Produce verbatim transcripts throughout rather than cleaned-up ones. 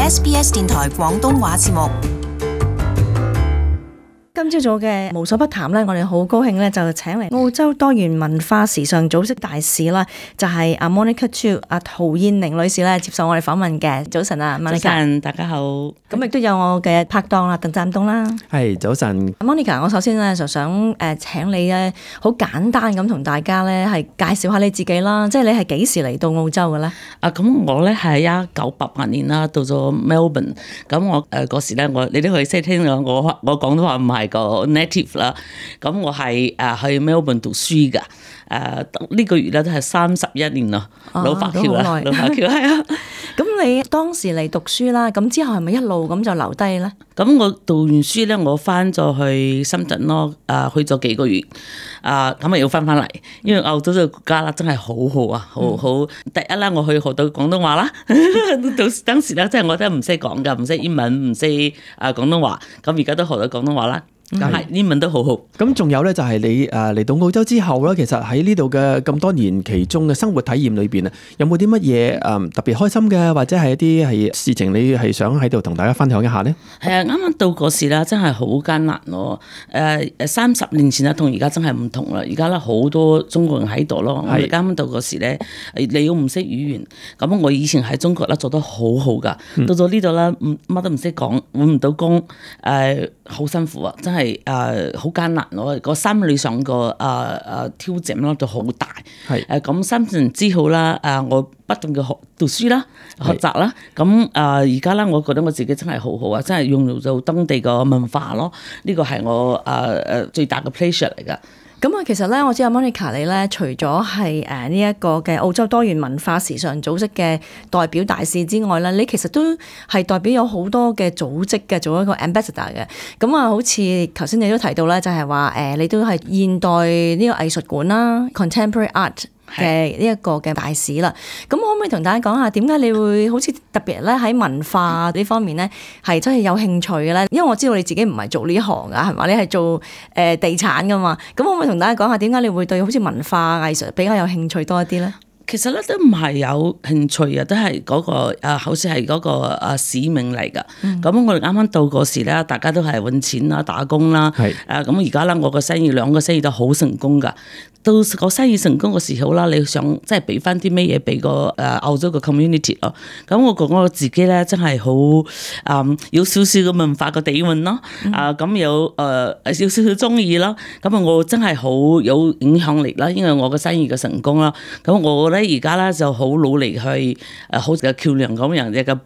S B S 電台廣東話節目。今朝早嘅無所不談咧，我哋好高興咧，就請嚟澳洲多元文化時尚組織大使啦，就係、是、阿 Monica Chu 阿陶燕玲女士咧接受我哋訪問嘅。早晨啊 ，Monica。早晨，大家好。咁亦都有我嘅拍檔啦，鄧湛東啦。係早晨 ，Monica，我首先咧就想誒請你咧好簡單咁同大家咧係介紹下你自己啦，即係你係幾時嚟到澳洲嘅咧？啊，咁我咧係一九八八年啦，到咗 Melbourne。咁我誒嗰時咧，我你都可以識聽我我我廣東話唔係個 native 啦。咁我係誒去 Melbourne 讀書㗎。誒、uh, 呢個月咧都係三十一年咯，啊、老華僑啦，老華僑係啊。咁你當時嚟讀書啦，咁之後係咪一路咁就留低咧？咁我讀完書咧，我翻咗去深圳咯，誒去咗幾個月，啊咁啊要翻翻嚟，因為澳洲呢個國家啦真係好好啊，好好、嗯、第一啦，我去學到廣東話啦，到當時咧真係我都唔識講噶，唔識英文，唔識誒廣東話，咁而家都學到廣東話啦。咁係英文都好好。咁仲有咧，就係你誒嚟到澳洲之後咧，其實喺呢度嘅咁多年其中嘅生活體驗裏邊啊，有冇啲乜嘢誒特別開心嘅，或者係一啲係事情你係想喺度同大家分享一下咧？係啊，啱啱到嗰時啦，真係好艱難咯。誒誒，三十年前啦，同而家真係唔同啦。而家咧好多中國人喺度咯。我哋啱啱到嗰時咧，你要唔識語言，咁我以前喺中國咧做得好好噶，到咗呢度啦，乜都唔識講，揾唔到工，誒好辛苦啊，真係。係誒好艱難咯，個心理上個誒誒挑戰咯就好大。係誒咁三年之後啦，誒我不斷嘅學讀書啦，學習啦。咁誒而家咧，我覺得我自己真係好好啊，真係用到當地個文化咯。呢個係我誒誒最大嘅 pleasure 嚟噶。咁啊，其實咧，我知阿 Monica 你咧，除咗係誒呢一個嘅澳洲多元文化時尚組織嘅代表大使之外咧，你其實都係代表有好多嘅組織嘅，做一個 ambassador 嘅。咁啊，好似頭先你都提到咧，就係話誒，你都係現代呢個藝術館啦 ，contemporary art 嘅呢一個嘅大使啦。咁可唔可以同大家講下點解你會好似特別咧喺文化呢方面咧係真係有興趣嘅咧？因為我知道你自己唔係做呢行噶，係嘛？你係做誒地產噶嘛？咁可唔可以同大家講下點解你會對好似文化藝術比較有興趣多一啲咧？其實咧都唔係有興趣啊，都係嗰、那個誒，好似係嗰個誒使命嚟噶。咁、嗯、我哋啱啱到嗰時咧，大家都係揾錢啦、打工啦。係誒咁而家咧，我個生意兩個生意都好成功噶。到個生意成功嘅時候啦，你想即係俾翻啲咩嘢俾個誒澳洲嘅 community 咯？咁我覺得我自己咧真係好誒有少少嘅文化嘅底蘊咯。啊咁、嗯、有誒、呃、有少少中意啦。咁啊我真係好有影響力啦，因為我嘅生意嘅成功啦。咁我咧而家咧就好努力去誒好似個橋梁咁樣嘅個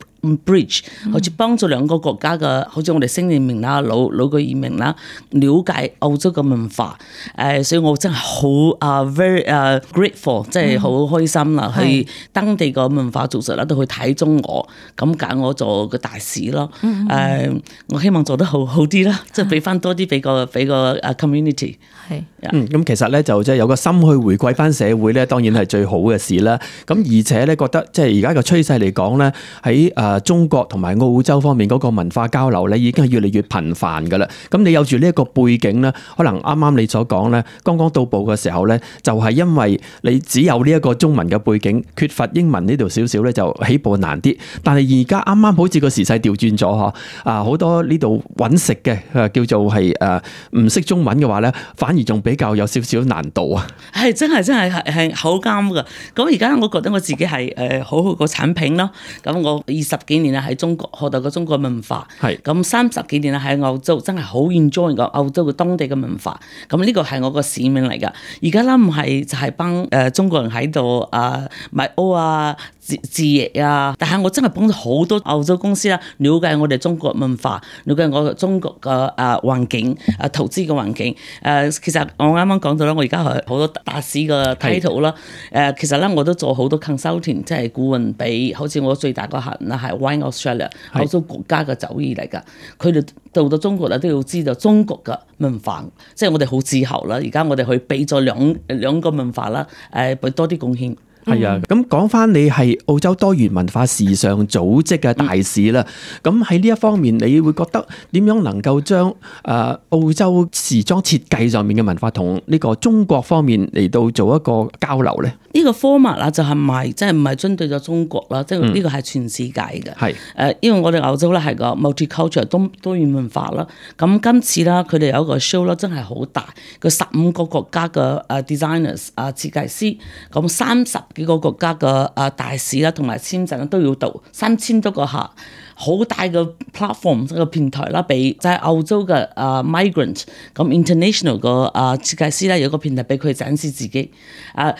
bridge，好似幫助兩個國家嘅，好似我哋新移民啦、老老嘅移民啦，了解澳洲嘅文化。誒，所以我真係好啊 very 誒 grateful，即係好開心啦，嗯、去當地個文化組織啦，都去睇中我，咁揀我做個大使咯。誒、嗯嗯，uh, 我希望做得好好啲啦，即係俾翻多啲俾個俾個誒 community。係，嗯，咁其實咧就即係有個心去回饋翻社會咧，當然係最好嘅事啦。咁而且咧覺得即係而家個趨勢嚟講咧，喺誒中國同埋澳洲方面嗰個文化交流咧，已經係越嚟越頻繁噶啦。咁你有住呢一個背景咧，可能啱啱你所講咧，剛剛到埗嘅時候咧，就係因為你只有呢一個中文嘅背景，缺乏英文呢度少少咧，就起步難啲。但係而家啱啱好似個時勢調轉咗嗬，啊好多呢度揾食嘅誒叫做係誒唔識中文嘅話咧，反而仲比較有少少難度啊。係真係真係係係好啱噶。咁而家我覺得我自己係誒好好個產品咯。咁我二十幾年啊喺中國學到個中國文化，係咁三十幾年啊喺澳洲真係好 enjoy 個澳洲嘅當地嘅文化。咁呢個係我個使命嚟噶。而家啦唔係就係幫誒中國人喺度啊買屋啊置置業啊，但係我真係幫咗好多澳洲公司啦，了解我哋中國文化，了解我哋中國嘅誒環境誒投資嘅環境。誒其實我啱啱講到啦，我而家係好多大使嘅 title 啦。誒其實咧我都做好多 consulting， 即係顧問俾，好似我最大個客人啦係 Wine Australia， 澳洲國家嘅酒業嚟㗎。佢哋到到中國咧都要知道中國嘅文化，即係我哋好自豪啦。而家我哋去俾咗兩兩個文化啦，誒俾多啲貢獻。係啊，咁講翻你係澳洲多元文化時尚組織嘅大使啦，咁喺呢一方面，你會覺得點樣能夠將誒澳洲時裝設計上面嘅文化同呢個中國方面嚟到做一個交流咧？呢個 format 啦，就係唔係即係唔係針對咗中國啦，即係呢個係全世界嘅。係誒、嗯，因為我哋澳洲咧係個 multicultural 多多元文化啦。咁今次啦，佢哋有一個 show 啦，真係好大，個十五個國家嘅誒 designers 啊設計師，咁三十幾個國家嘅誒大使啦，同埋簽證都要到三千多個客。好大嘅 platform 個平台啦，俾就係澳洲嘅啊 migrant 咁 international 個啊設計師啦，有個平台俾佢展示自己。啊，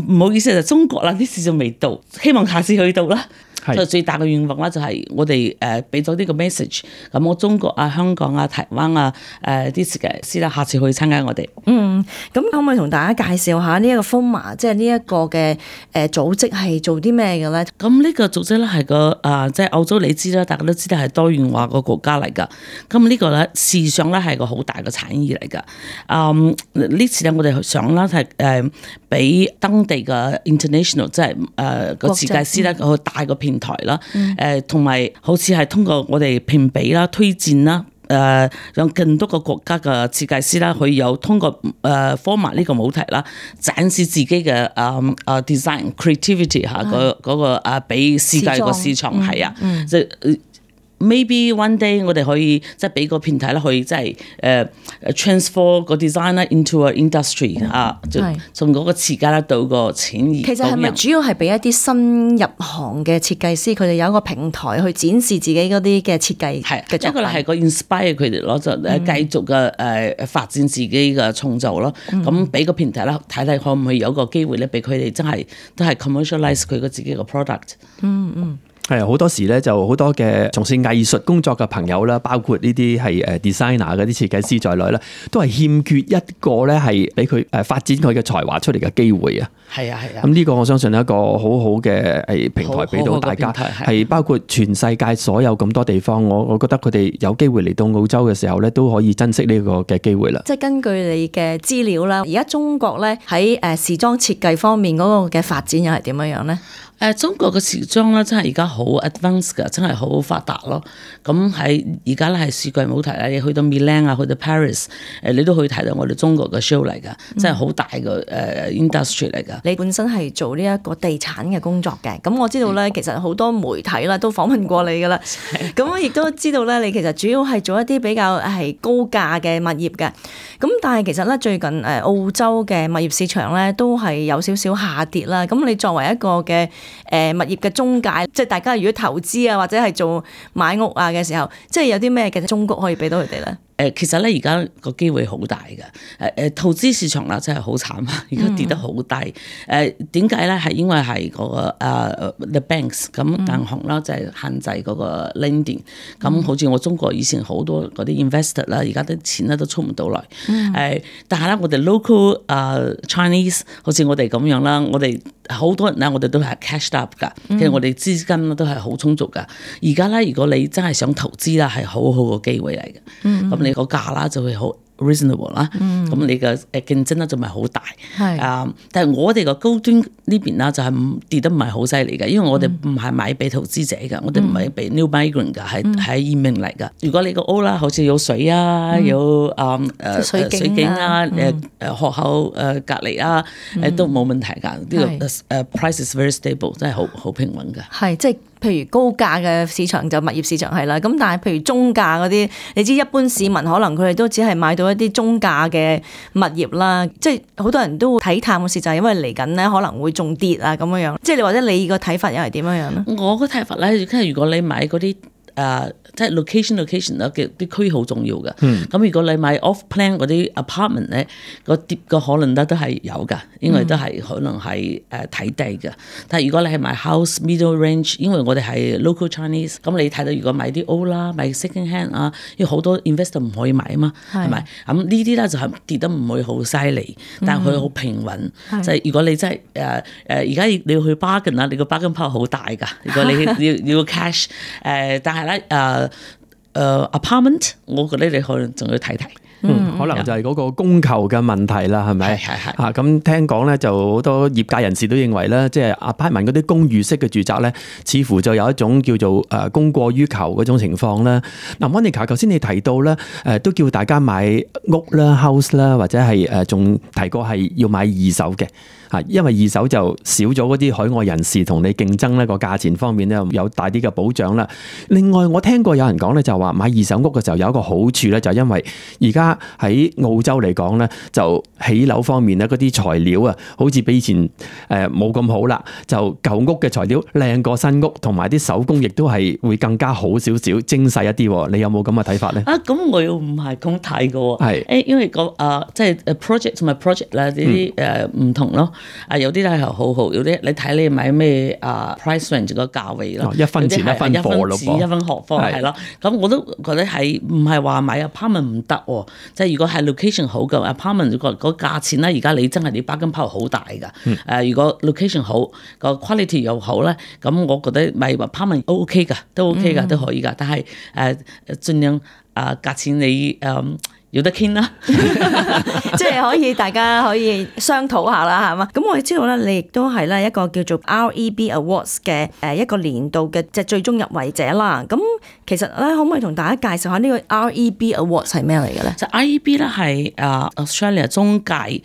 唔好意思就中國啦，啲事仲未到，希望下次去到啦。就最大嘅願望啦，就係我哋誒俾咗呢個 message，咁我中國啊、香港啊、台灣啊誒啲設計師啦，下次去參加我哋。嗯，咁可唔可以同大家介紹下呢一個 F O M A， 即係呢一個嘅誒組織係做啲咩嘅咧？咁呢個組織咧係個啊，即係澳洲你知啦，大家都知道係多元化個國家嚟㗎。咁呢個咧時尚咧係個好大嘅產業嚟㗎。嗯，呢次咧我哋想啦係誒俾當地嘅 international 即係誒個設計師咧個大個片台啦，誒同埋好似係通過我哋評比啦、推薦啦，誒、呃、讓更多個國家嘅設計師啦，佢有通過誒 F O M A 呢個舞題啦，展示自己嘅誒誒 design creativity 嚇，嗰嗰個誒俾世界個市場係啊，即係。嗯 Maybe one day 我哋可以即係俾個平台啦，可以即係誒 transfer 個 design 啦 into a industry 啊，就從嗰個設計啦到個產業。其實係咪主要係俾一啲新入行嘅設計師，佢哋有一個平台去展示自己嗰啲嘅設計嘅作品？一個係個 inspire 佢哋咯，就誒繼續嘅誒發展自己嘅創造咯。咁俾個平台啦，睇睇可唔可以有個機會咧，俾佢哋真係都係 commercialize 佢個自己嘅 product。嗯嗯。係好多時咧，就好多嘅從事藝術工作嘅朋友啦，包括呢啲係誒 designer 嗰啲設計師在內啦，都係欠缺一個咧係俾佢誒發展佢嘅才華出嚟嘅機會啊！係啊係啊！咁呢個我相信係一個好好嘅誒平台俾到大家，係包括全世界所有咁多地方，我我覺得佢哋有機會嚟到澳洲嘅時候咧，都可以珍惜呢個嘅機會啦。即係根據你嘅資料啦，而家中國咧喺誒時裝設計方面嗰個嘅發展又係點樣樣咧？誒中國嘅時裝咧，真係而家好 advanced 㗎，真係好發達咯。咁喺而家咧係世界舞台啦，你去到 Milan 啊，去到 Paris，誒你都可以睇到我哋中國嘅 show 嚟㗎，真係好大嘅誒 industry 嚟㗎。你本身係做呢一個地產嘅工作嘅，咁我知道咧，其實好多媒體啦都訪問過你㗎啦。咁我亦都知道咧，你其實主要係做一啲比較係高價嘅物業嘅。咁但係其實咧，最近誒澳洲嘅物業市場咧都係有少少下跌啦。咁你作為一個嘅誒物業嘅中介，即係大家如果投資啊或者係做買屋啊嘅時候，即係有啲咩嘅忠告可以俾到佢哋咧？誒其實咧而家個機會好大嘅，誒誒投資市場啦真係好慘啊！而家跌得好低，誒點解咧？係因為係嗰個誒 the banks 咁銀行啦，就係限制嗰個 lending。咁好似我中國以前好多嗰啲 investor 啦，而家啲錢咧都出唔到嚟。誒，但係咧我哋 local 誒 Chinese 好似我哋咁樣啦，我哋好多人咧，我哋都係 cashed up 㗎，其實我哋資金都係好充足㗎。而家咧，如果你真係想投資啦，係好好個機會嚟嘅。咁你個價啦就會好 reasonable 啦，咁、嗯、你嘅誒競爭咧就唔係好大，啊、uh,！但係我哋個高端呢邊啦就係跌得唔係好犀利嘅，因為我哋唔係買俾投資者嘅，嗯、我哋唔係俾 new migrant 嘅，係係移民嚟嘅。如果你個屋啦，好似有水啊，嗯、有啊誒、呃、水景啊，誒誒、嗯呃、學校誒隔離啊，誒、嗯、都冇問題㗎。呢、這個誒、uh, price is very stable， 真係好好平穩嘅。係即係。譬如高價嘅市場就物業市場係啦，咁但係譬如中價嗰啲，你知一般市民可能佢哋都只係買到一啲中價嘅物業啦，即係好多人都睇淡嘅事就係因為嚟緊咧可能會仲跌啊咁樣樣，即係你或者你個睇法又係點樣樣咧？我個睇法咧，即係如果你買嗰啲。誒、uh, 即係 location location 啦嘅啲區好重要嘅，咁、嗯、如果你買 off plan 嗰啲 apartment 咧，個跌個可能咧都係有㗎，因為都係可能係誒睇低嘅。但係如果你係買 house middle range，因為我哋係 local Chinese，咁你睇到如果買啲 old 啦，買 second hand 啊，因為好多 investor 唔可以買啊嘛，係咪？咁呢啲咧就係跌得唔會好犀利，但係佢好平穩。就係、是、如果你真係誒誒而家你要去 bargain 啦，你個 bargain power 好大㗎。如果你要要 cash 誒、呃，但係咧誒誒 apartment，我覺得你可能仲要睇睇。嗯，可能就係嗰個供求嘅問題啦，係咪？係係啊，咁聽講咧，就好多業界人士都認為咧，即係 apartment 嗰啲公寓式嘅住宅咧，似乎就有一種叫做誒供過於求嗰種情況啦。嗱，Monica，頭先你提到咧，誒都叫大家買屋啦、house 啦，或者係誒仲提過係要買二手嘅。啊，因為二手就少咗嗰啲海外人士同你競爭咧，個價錢方面咧有大啲嘅保障啦。另外，我聽過有人講咧，就話買二手屋嘅時候有一個好處咧，就係因為而家喺澳洲嚟講咧，就起樓方面咧嗰啲材料啊，好似比以前誒冇咁好啦。就舊屋嘅材料靚過新屋，同埋啲手工亦都係會更加好少少、精細一啲。你有冇咁嘅睇法咧？啊，咁我又唔係咁睇嘅喎。係誒，因為個啊，即係 project 同埋 project 啦，呢啲誒唔同咯。啊，有啲咧係好好，有啲你睇你買咩啊 price range 個價位咯，一分錢一分貨咯，一分錢一分學貨係咯。咁我都覺得係唔係話買 apartment 唔得喎？即係如果係 location 好嘅 apartment 個個價錢咧，而家你真係你 bargain power 好大㗎。誒、嗯，如果 location 好個 quality 又好咧，咁我覺得買 apartment OK 㗎，都 OK 㗎，都可以㗎。但係誒誒，盡量啊價錢你誒。嗯有得傾啦，即係可以大家可以商討下啦，係嘛？咁我哋知道咧，你亦都係咧一個叫做 R E B Awards 嘅誒一個年度嘅即係最終入圍者啦。咁其實咧，可唔可以同大家介紹下呢個 R E B Awards 係咩嚟嘅咧？就 R E B 咧係誒 Australia 中介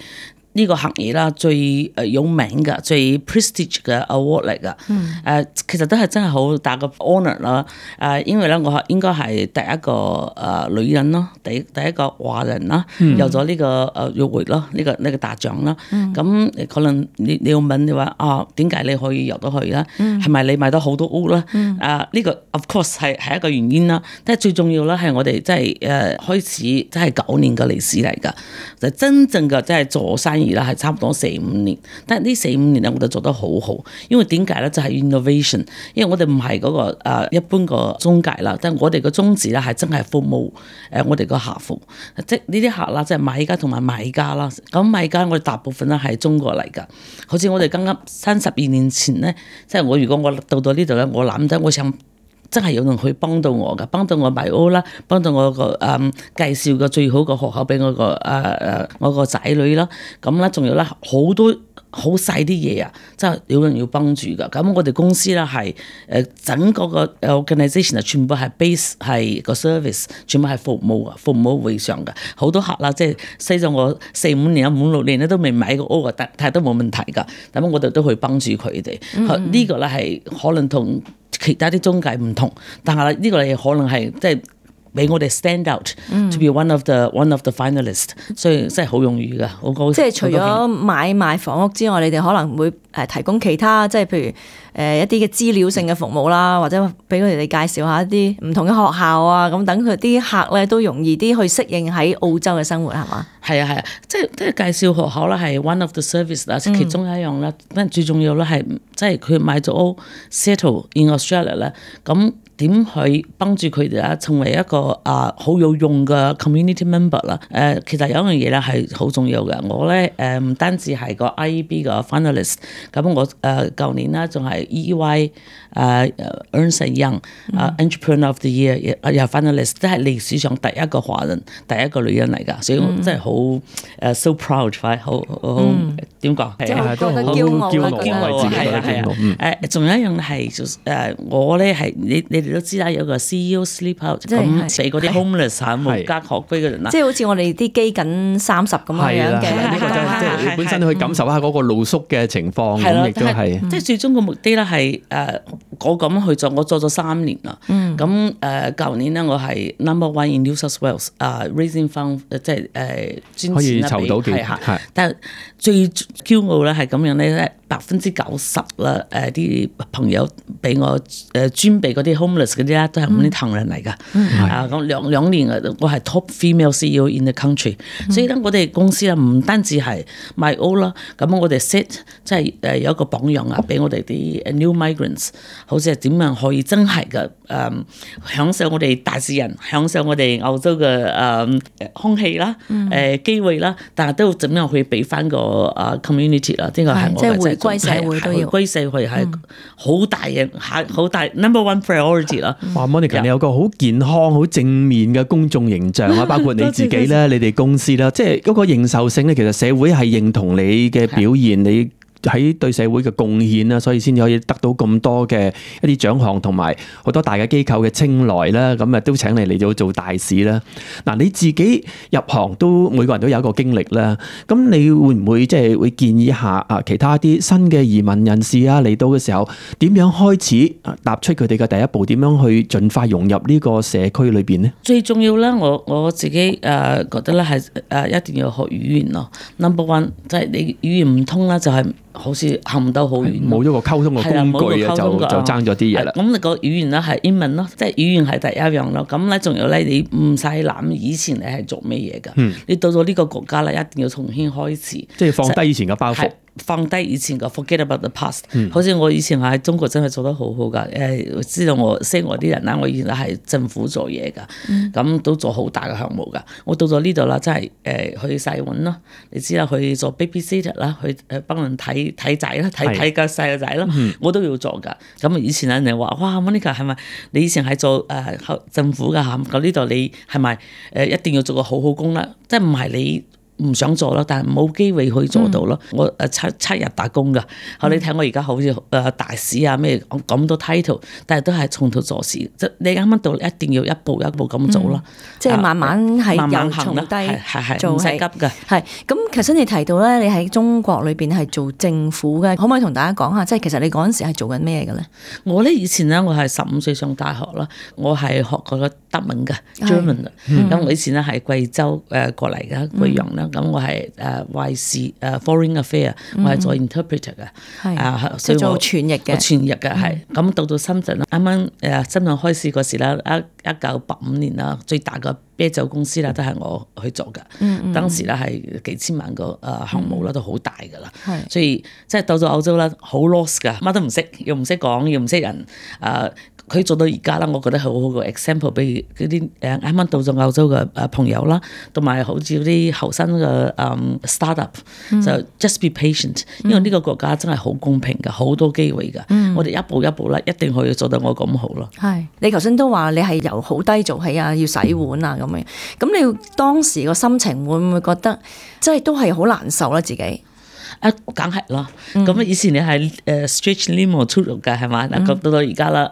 呢個行業啦，最誒有名嘅、最 prestige 嘅 award 嚟㗎。誒、嗯，其實都係真係好大個 honour 啦。誒，因為咧，我應該係第一個誒女人咯，第第一個華人啦，嗯、有咗呢個誒入圍咯，呢、這個呢、這個大獎啦。咁、嗯、可能你你要問你話啊，點解你可以入到去咧？係咪、嗯、你買到好多屋咧？嗯、啊，呢、這個 of course 係係一個原因啦。但係最重要咧係我哋即係誒開始即係九年嘅歷史嚟㗎，就真正嘅即係做生意。而啦係差唔多四五年，但係呢四五年咧，我哋做得好好，因為點解咧？就係、是、innovation，因為我哋唔係嗰個誒、呃、一般個中介啦，但係我哋個宗旨咧係真係服務誒、呃、我哋個客戶，即係呢啲客啦，即係買家同埋賣家啦。咁買家我哋大部分咧係中國嚟㗎，好似我哋剛剛三十二年前咧，即係我如果我到到呢度咧，我諗得我想。真係有人去幫到我㗎，幫到我買屋啦，幫到我個誒、嗯、介紹個最好嘅學校俾我個誒誒我個仔女啦，咁咧仲有咧好多好細啲嘢啊，真係有人要幫住㗎。咁我哋公司咧係誒整個個 organisation 啊，全部係 base 係個 service，全部係服務啊，服務為上㗎。好多客啦，即係細咗我四五年啊，五六年咧都未買過屋啊，但係都冇問題㗎。咁我哋都去幫住佢哋。嗯嗯呢個咧係可能同其他啲中介唔同，但係呢個你可能係即係俾我哋 stand out、嗯、to be one of the one of the finalist， 所以真係好容易㗎，好高。即係除咗買賣房屋之外，你哋可能會誒提供其他，即係譬如誒一啲嘅資料性嘅服務啦，或者俾佢哋介紹下一啲唔同嘅學校啊，咁等佢啲客咧都容易啲去適應喺澳洲嘅生活，係嘛？係啊係啊，即係即係介紹學校啦，係 one of the service 啦，其中一樣啦，但、嗯、最重要咧係即係佢買咗屋 settle in Australia 咧，咁。點去幫助佢哋啊？成為一個啊好有用嘅 community member 啦。誒，其實有一樣嘢咧係好重要嘅。我咧誒唔單止係個 R E B 嘅 finalist，咁我誒舊年啦仲係 E Y 誒 Ernst and Young 啊 Entrepreneur of the Year 又 finalist，即係歷史上第一個華人、第一個女人嚟㗎，所以我真係好誒 so proud，快好好點講？即係覺得驕傲啦，驕傲係啊係啊誒，仲有一樣係誒我咧係你你。你都知啦，有個 C E O sleep out，咁俾嗰啲 homeless 嚇無家可歸嘅人啦。即係好似我哋啲基緊三十咁樣嘅。呢個真係即係你本身去感受下嗰個露宿嘅情況，咁亦都係。即係最終個目的咧係誒，我咁去做，我做咗三年啦。咁誒，舊年咧我係 number one in New South Wales 啊 raising fund，即係誒專可以籌到幾係。但係最驕傲咧係咁樣咧，百分之九十啦誒啲朋友俾我誒專俾嗰啲 homeless 嗰啲咧都係咁啲唐人嚟㗎，啊咁兩兩年啊，我係 top female C E O in the country，嗯、所以咧我哋公司啊唔單止係賣屋啦，咁我哋 set 即係誒有一個榜樣啊，俾我哋啲 new migrants， 好似係點樣可以真係嘅誒享受我哋大自然，享受我哋澳洲嘅誒、呃、空氣啦，誒、呃、機會啦，但係都點樣去俾翻個誒 community 啦，呢個係我嘅歸社會都要回歸社會係好大嘅，好大 number one priority 啦。哇 Monica， 你有個好健康、好正面嘅公眾形象啊，包括你自己咧，你哋公司啦，即係嗰個認受性咧，其實社會係認同你嘅表現，你喺對社會嘅貢獻啦，所以先至可以得到咁多嘅一啲獎項，同埋好多大嘅機構嘅青睞啦。咁啊，都請你嚟到做大使啦。嗱，你自己入行都每個人都有一個經歷啦。咁你會唔會即係會建議下啊其他啲新嘅移民人士啊嚟到嘅時候，點樣開始踏出佢哋嘅第一步？點樣去盡快融入呢個社區裏邊呢？最重要咧，我我自己誒覺得咧係誒一定要學語言咯。Number one 即係你語言唔通啦，就係、是。好似行唔到好遠，冇咗個溝通嘅工具啊，就就爭咗啲嘢啦。咁你個語言咧係英文咯，即係語言係第一樣咯。咁咧仲有咧，你唔使諗以前你係做咩嘢㗎？嗯、你到咗呢個國家咧，一定要重新開始，即係放低以前嘅包袱。放低以前嘅 forget about the past，嗯、好似我以前喺中國真係做得好好㗎。誒，知道我識我啲人啦，我以前係政府做嘢㗎，咁、嗯、都做好大嘅項目㗎。我到咗呢度啦，真係誒去洗碗咯，你知啦，去做 babysitter 啦，去誒幫人睇睇仔啦，睇睇個細路仔啦，我都要做㗎。咁以前人哋話：哇 ，Monica 係咪你以前係做誒、呃、政府㗎嚇？咁呢度你係咪誒一定要做個好好工啦？即係唔係你？唔想做咯，但係冇機會可以做到咯。嗯、我誒七七日打工㗎，後、嗯、你睇我而家好似誒大使啊咩咁多 title， 但係都係從頭做事。即你啱啱到，一定要一步一步咁做咯、嗯。即係慢慢係由從低做，唔使急㗎。係咁，其實你提到咧，你喺中國裏邊係做政府嘅，可唔可以同大家講下？即係其實你嗰陣時係做緊咩嘅咧？我咧以前咧，我係十五歲上大學啦，我係學過個德文嘅 German 咁、嗯、我以前咧係貴州誒過嚟嘅貴陽啦。咁我係誒外事誒 foreign affair，、嗯、我係做 interpreter 嘅，係啊，所以做傳譯嘅，傳譯嘅係。咁、嗯、到到深圳啦，啱啱誒深圳開市嗰時啦，一一九八五年啦，最大嘅啤酒公司啦，都係我去做嘅。嗯嗯，當時咧係幾千萬個誒項目啦，都好大㗎啦。係、嗯，所以即係到咗歐洲啦，好 lost 㗎，乜都唔識，又唔識講，又唔識人誒。佢做到而家啦，我覺得係好好個 example，俾嗰啲誒啱啱到咗歐洲嘅誒朋友啦，同埋好似啲後生嘅誒 startup，就 just be patient，因為呢個國家真係好公平嘅，好多機會嘅。嗯、我哋一步一步咧，一定可以做到我咁好咯。係，你頭先都話你係由好低做起啊，要洗碗啊咁樣。咁你當時個心情會唔會覺得即係都係好難受咧？自己啊，梗係啦。咁、嗯、以前你係誒 stretch limo 出肉嘅係嘛？嗱、嗯，到到而家啦。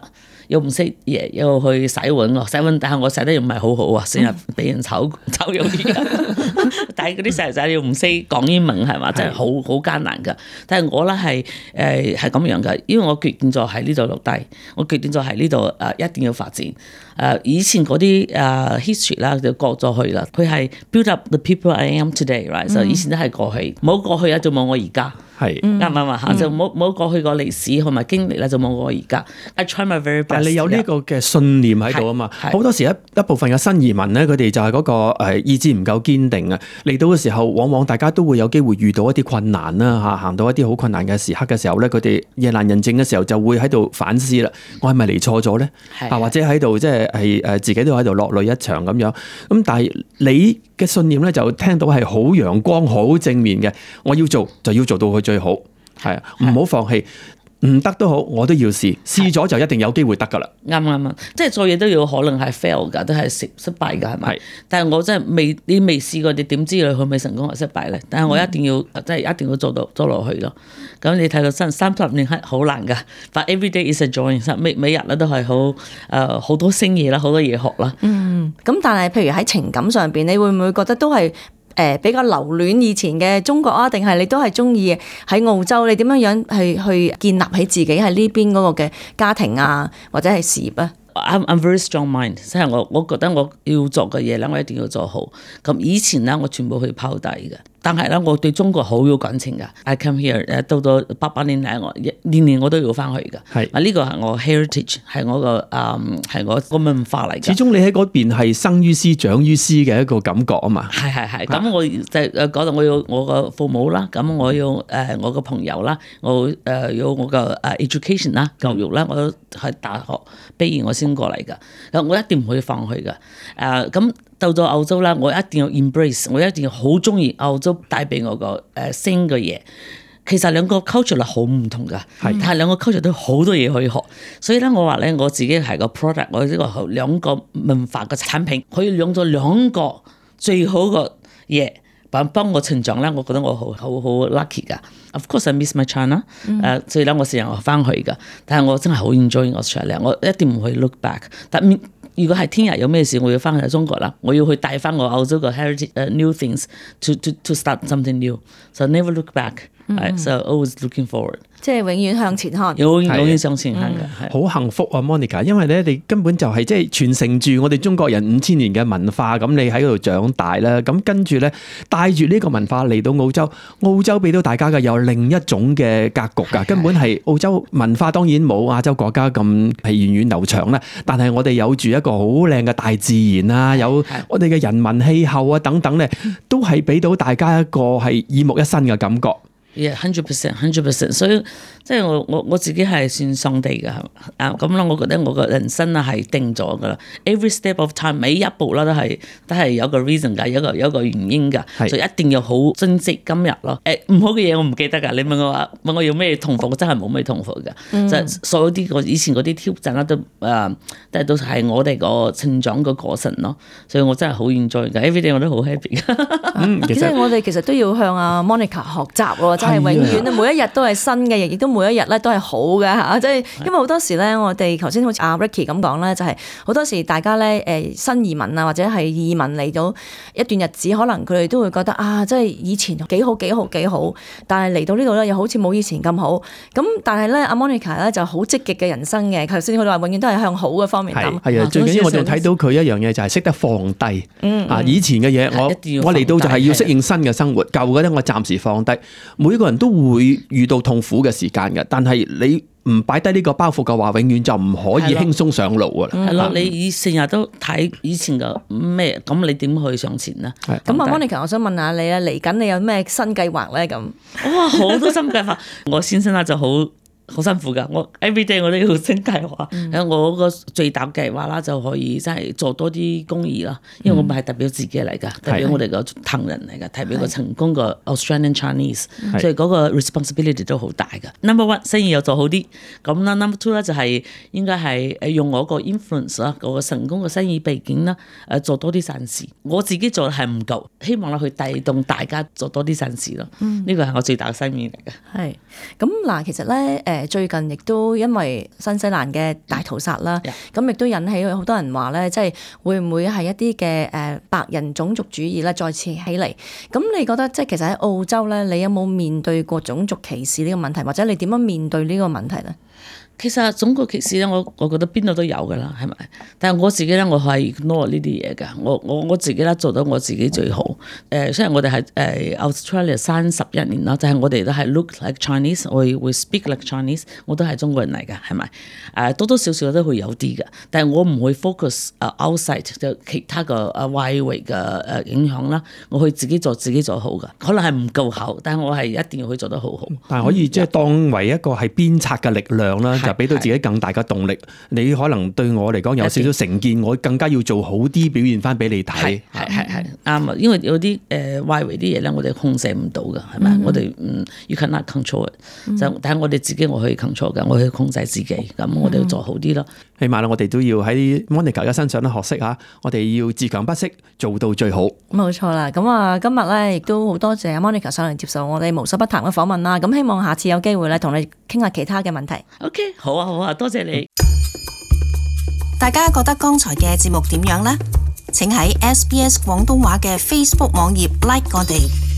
又唔識嘢，又去洗碗喎，洗碗但係我洗得又唔係好好啊，成日俾人炒炒魷魚。但係嗰啲細路仔又唔識講英文係嘛，真係好好艱難㗎。但係我咧係誒係咁樣㗎，因為我決定咗喺呢度落低，我決定咗喺呢度誒一定要發展。誒、呃、以前嗰啲誒 history 啦就過咗去啦，佢係 build up the people I am today，right？所以、嗯、以前都係過去，冇過去啊就冇我而家。係啱唔啱啊？嚇就冇冇過去個歷史同埋經歷啦，就冇我而家。I try my very best。但係你有呢個嘅信念喺度啊嘛。好多時一一部分嘅新移民咧，佢哋就係嗰個誒意志唔夠堅定啊。嚟到嘅時候，往往大家都會有機會遇到一啲困難啦嚇，行到一啲好困難嘅時刻嘅時候咧，佢哋夜闌人靜嘅時候就會喺度反思啦。我係咪嚟錯咗咧？啊，或者喺度即係係誒自己都喺度落淚一場咁樣。咁但係你嘅信念咧，就聽到係好陽光、好正面嘅。我要做就要做到佢最好，係啊，唔好放棄。唔得都好，我都要試，試咗就一定有機會得噶啦。啱啱啊，即係做嘢都要可能係 fail 噶，都係失失敗噶，係咪？但係我真係未，你未試過，你點知佢會唔會成功或失敗咧？但係我一定要，嗯、即係一定要做到做落去咯。咁你睇到三三十年係好難噶，but every day is a joy，每每日咧都係好誒好多新嘢啦，好多嘢學啦。嗯，咁但係譬如喺情感上邊，你會唔會覺得都係？誒比較留戀以前嘅中國啊，定係你都係中意喺澳洲？你點樣樣去去建立起自己喺呢邊嗰個嘅家庭啊，或者係事業啊？I'm I'm very strong mind，即係我我覺得我要做嘅嘢咧，我一定要做好。咁以前咧，我全部去拋低嘅。但係咧，我對中國好有感情㗎。I come here，誒到到八八年嚟，我年年我都要翻去㗎。係啊，呢個係我 heritage，係我個誒係我個文化嚟㗎。始終你喺嗰邊係生於斯長於斯嘅一個感覺啊嘛。係係係。咁我就誒嗰度我要我個父母啦，咁我要誒我個朋友啦，我誒要我個誒 education 啦教育啦，我都喺大學畢業我先過嚟㗎。我一定唔可以放棄㗎。誒咁。到咗澳洲啦，我一定要 embrace，我一定要好中意澳洲帶俾我個誒新嘅嘢。其實兩個 culture 係好唔同㗎，但係兩個 culture 都好多嘢可以學。所以咧，我話咧，我自己係個 product，我呢個兩個文化嘅產品，可以用咗兩個最好嘅嘢。幫幫我成長咧，我覺得我好好好 lucky 噶。Of course I miss my China，誒、嗯呃，所以咧我成日我翻去噶。但係我真係好 enjoy Australia，我一定唔會 look back。但如果係聽日有咩事，我要翻去中國啦，我要去帶翻我澳洲嘅 heritage、uh, new things to to to start something new。So never look back，係、嗯、so always looking forward。即係永遠向前看，永永遠向前看嘅，好幸福啊 Monica， 因為咧你根本就係即係傳承住我哋中國人五千年嘅文化，咁你喺嗰度長大啦，咁跟住咧帶住呢個文化嚟到澳洲，澳洲俾到大家嘅有另一種嘅格局㗎，根本係澳洲文化當然冇亞洲國家咁係源遠流長啦，但係我哋有住一個好靚嘅大自然啊，有我哋嘅人文氣候啊等等咧，都係俾到大家一個係耳目一新嘅感覺。Yeah, hundred percent, hundred percent。所以即係我我我自己係算上帝㗎，啊咁啦，我覺得我個人生啊係定咗㗎啦。Every step of time， 每一步啦都係都係有個 reason 㗎，有個有個原因㗎，所以一定要好珍惜今日咯。誒唔好嘅嘢我唔記得㗎。你問我話問我要咩痛苦，我真係冇咩痛苦㗎。嗯、就所有啲我以前嗰啲挑戰啦都誒，但係都係我哋個成長個過程咯。所以我真係好 enjoy 㗎 ，everyday 我都好 happy。嗯，其實我哋其實都要向阿 Monica 學習喎。真係永遠咧，每一日都係新嘅，亦都每一日咧都係好嘅嚇。即係因為好多時咧，我哋頭先好似阿 Ricky 咁講咧，就係好多時大家咧誒新移民啊，或者係移民嚟到一段日子，可能佢哋都會覺得啊，即係以前幾好幾好幾好，但係嚟到呢度咧又好似冇以前咁好。咁但係咧，阿 Monica 咧就好積極嘅人生嘅。頭先佢話永遠都係向好嘅方面諗。係啊，最緊要我仲睇到佢一樣嘢就係識得放低。嗯啊，以前嘅嘢我我嚟到就係要適應新嘅生活，舊嘅咧我暫時放低。每個人都會遇到痛苦嘅時間嘅，但係你唔擺低呢個包袱嘅話，永遠就唔可以輕鬆上路㗎啦。係咯，你以成日都睇以前嘅咩，咁你點去上前呢？咁啊 Monica， 我想問下你啊，嚟緊你有咩新計劃咧？咁哇，好多新計劃！我先生啊就好。好辛苦㗎，我 everyday 我都要新計劃。嗯、我個最大計劃啦，就可以真係做多啲公益啦。因為我唔係代表自己嚟㗎，代表我哋個唐人嚟㗎，代表個成功個 Australian Chinese，所以嗰個 responsibility 都好大㗎。Number one 生意又做好啲，咁啦 number two 咧就係應該係誒用我個 influence 啦，個成功嘅生意背景啦，誒做多啲善事。我自己做係唔夠，希望啦去帶動大家做多啲善事咯。呢個係我最大嘅心願嚟㗎。係咁嗱，其實咧誒。最近亦都因為新西蘭嘅大屠殺啦，咁亦都引起好多人話咧，即係會唔會係一啲嘅誒白人種族主義咧再次起嚟？咁你覺得即係其實喺澳洲咧，你有冇面對過種族歧視呢個問題，或者你點樣面對呢個問題咧？其實種族歧視咧，我我覺得邊度都有㗎啦，係咪？但係我自己咧，我係 ignore 呢啲嘢㗎。我我我自己咧做到我自己最好。誒、呃，雖然我哋係誒 Australia 三十一年啦，但係我哋都係 look like Chinese，我會 speak like Chinese，我都係中國人嚟㗎，係咪？誒、呃，多多少少都會有啲㗎，但係我唔會 focus 誒 outside 就其他個誒外圍嘅誒影響啦。我去自己做自己做好㗎，可能係唔夠好，但係我係一定要去做得好好。但係可以即係當為一個係鞭策嘅力量啦。俾到自己更大嘅動力，你可能對我嚟講有少少成見，我更加要做好啲表現翻俾你睇。係係係啱啊！因為有啲誒外圍啲嘢咧，我哋控制唔到㗎，係咪？我哋嗯 you cannot control it，就但係我哋自己我可以 control 㗎，我可以控制自己，咁我哋要做好啲咯。起碼我哋都要喺 Monica 嘅身上咧學識嚇，我哋要自強不息，做到最好。冇錯啦，咁啊今日咧亦都好多謝 Monica 上嚟接受我哋無所不談嘅訪問啦。咁希望下次有機會咧同你傾下其他嘅問題。OK。好啊好啊，多謝你。大家覺得剛才嘅節目點樣呢？請喺 S B S 廣東話嘅 Facebook 網頁 like 我哋。